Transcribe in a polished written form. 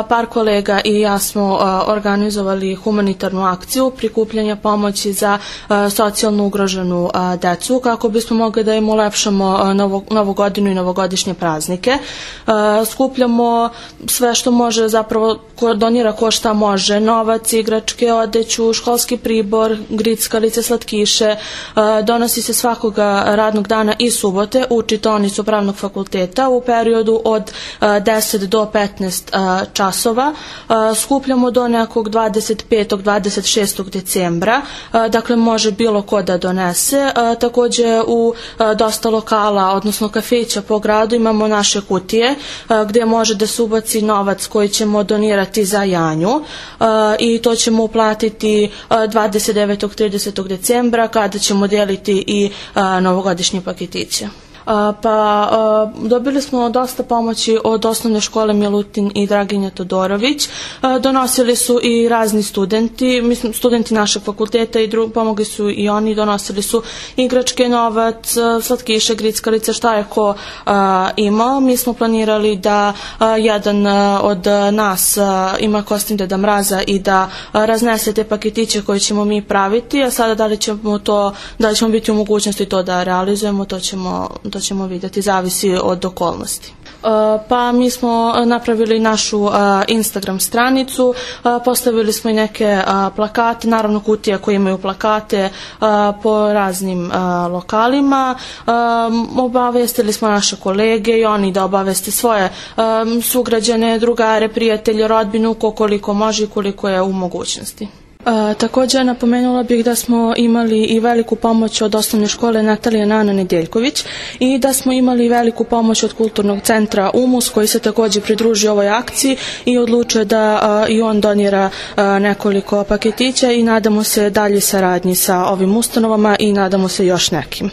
par kolega i ja smo organizovali humanitarnu akciju prikupljanja pomoći za socijalno ugroženu decu kako bismo mogli da im ulepšamo novu godinu i novogodišnje praznike. Skupljamo sve što može, zapravo donira ko šta može, novac, igračke, odeću, školski pribor, grickalice, slatkiše. Donosi se svakoga radnog dana i subote u čitaonicu Pravnog fakulteta u periodu od 10 do 15 časova. Skupljamo do nekog 25. 26. decembra, dakle može bilo ko da donese. Takođe u dosta lokala, odnosno kafića po gradu imamo naše kutije gde može da se ubaci novac koji ćemo donirati za Janju i to ćemo uplatiti 29. 30. decembra kada ćemo deliti i novogodišnje paketiće. Dobili smo dosta pomoći od osnovne škole Milutin i Draginja Todorović. Donosili su i razni studenti, studenti našeg fakulteta i pomogli su i oni, donosili su igračke, novac, slatkiše, grickalice, šta je ko imao. Mi smo planirali da jedan od nas ima kostim Deda Mraza i da raznese te paketiće koje ćemo mi praviti, a sada da li ćemo biti u mogućnosti to da realizujemo, to ćemo vidjeti, zavisi od okolnosti. Mi smo napravili našu Instagram stranicu, postavili smo i neke plakate, naravno kutije koje imaju plakate po raznim lokalima. Obavestili smo naše kolege i oni da obaveste svoje sugrađane, drugare, prijatelje, rodbinu, koliko može i koliko je u mogućnosti. Također napomenula bih da smo imali i veliku pomoć od osnovne škole Natalija Nana Nedeljković i da smo imali veliku pomoć od kulturnog centra Umus koji se također pridružio ovoj akciji i odlučio da i on donira nekoliko paketića i nadamo se dalje saradnji sa ovim ustanovama i nadamo se još nekim.